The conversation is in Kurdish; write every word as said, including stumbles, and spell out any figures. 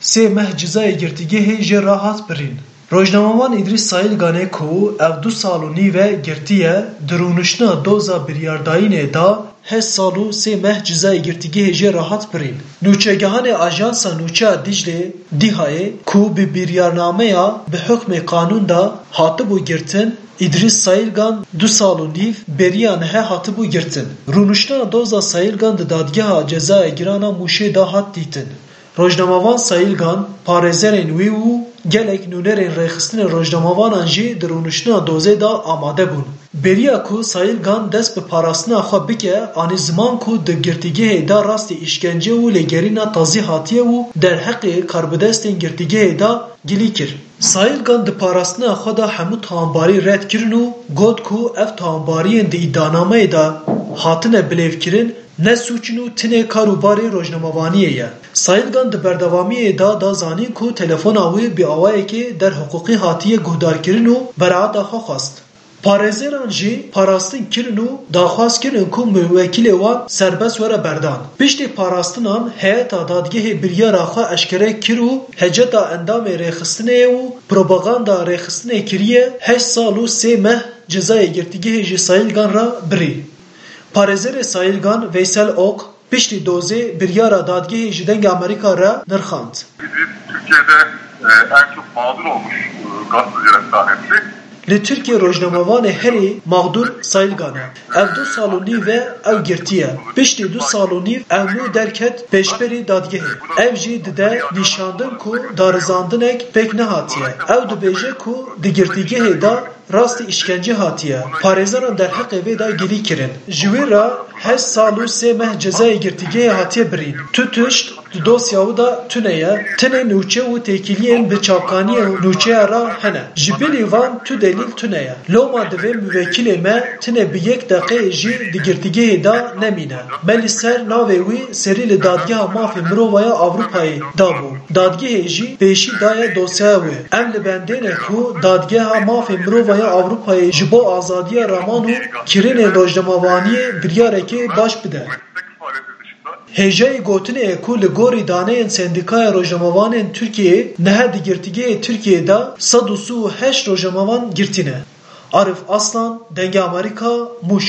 Sê meh cezayê girtîgehê jê re hat birîn. Rojnamevan Îdrîs Sayîlganê ku ev du sal û nîv e girtî ye, di rûniştina doza biryardayînê de heşt sal û sê meh cezayê girtîgehê jê re hat birîn. Nûçegihanê Ajansa Nûçeya Dîclê, DÎHAyê, ku bi biryarnameya bi hukmê qanûn de hatibû girtin, Îdrîs Sayîlgan du sal û nîv beriya nihe hatibû girtin. Rûniştina doza Sayîlgan di Dadgeha Cezaya Giran a Mûşê de hat dîtin. Rojnamevan Sayîlgan, parêzerên wî û gelek nûnerên rêxistinên rojnamevanan jî di rûniştina dozê de amade bûn. Beriya ku Sayîlgan dest bi parastina xwe bike, anî ziman ku di girtîgehê de rastî îşkence û lêgerîna tazî hatiye û derheqê karbidestên girtîgehê de gilî kir. Sayîlgan di parastina xwe de hemû tawanbarî red kirin û got ku ev tawanbariyên di îdianameyê de hatine bilêvkirin ne sûc in û tinê kar û barê rojnamevaniyê ye. Sayîlgan di berdewamiyê de da zanîn ku telefona wî bi awayekê derhiqûqî hatiye guhdarkirin û beraeta xwe xwest. Parêzeran jî parastin kirin û daxwaz kirin ku muwekîlê wan serbest were berdan. Piştî parastinan heyeta dadgehê biryara xwe eşkere kir û heceta endamê rêxistinê û propaganda rêxistinê kiriye heşt sal û sê meh cezayê girtîgehê ji Sayîlgan re birî. Parêzerê Sayîlgan Veysel Ok, piştî dozê biryara dadgehê ji Dengê Amerîka re nirxand. Biz Türkiye'de e, en çok mağdur olmuş e, gazetecilerimizden birisi. Li Tirkiye rojnamevanê herî mağdur Sayîlgan e. Ev du sal û nîv e ew girtî ye. Piştî du sal û nîv ew nû derket pêşberî dadgehê. Ev jî dide nîşandin ku darizandinek pêk nehatiye. Ew dibêje ku di girtîgehê de rastî îşkence hatiye. Parêzeran derheqê vê de gilî kirin. Ji wî re heşt sal û sê meh cezayê girtîgehê hatiye birîn. Tu tişt di dosya wî de tune ye. Tenê nûçe û têkiliyên bi çavkaniyên nûçeya re hene. Ji bilî van tu delîl tune ye. Loma divê muwekîlê me tine bi yek deqeyê jî di girtîgehê de nemîne. Me li ser navê wî serî li Dadgeha Mafê Mirova ya Ewropayê dabû. Dadgehê jî pêşî daye dosyaya wê. Em li bendê ne ku Dadgeha Mafê Mirova ya Ewropayê ji bo azadiya raman û kirinên rojnamevaniyê biryarekê baş bide. Hêjayî gotinê ye ku li gorî daneyên Sendîkaya Rojnamevanên Tirkiyeyê niha di girtîgehê Tirkiyeyê de sed û sî û heşt rojnamevan girtî ne. Arif Aslan, Dengê Amerîka, Mûş.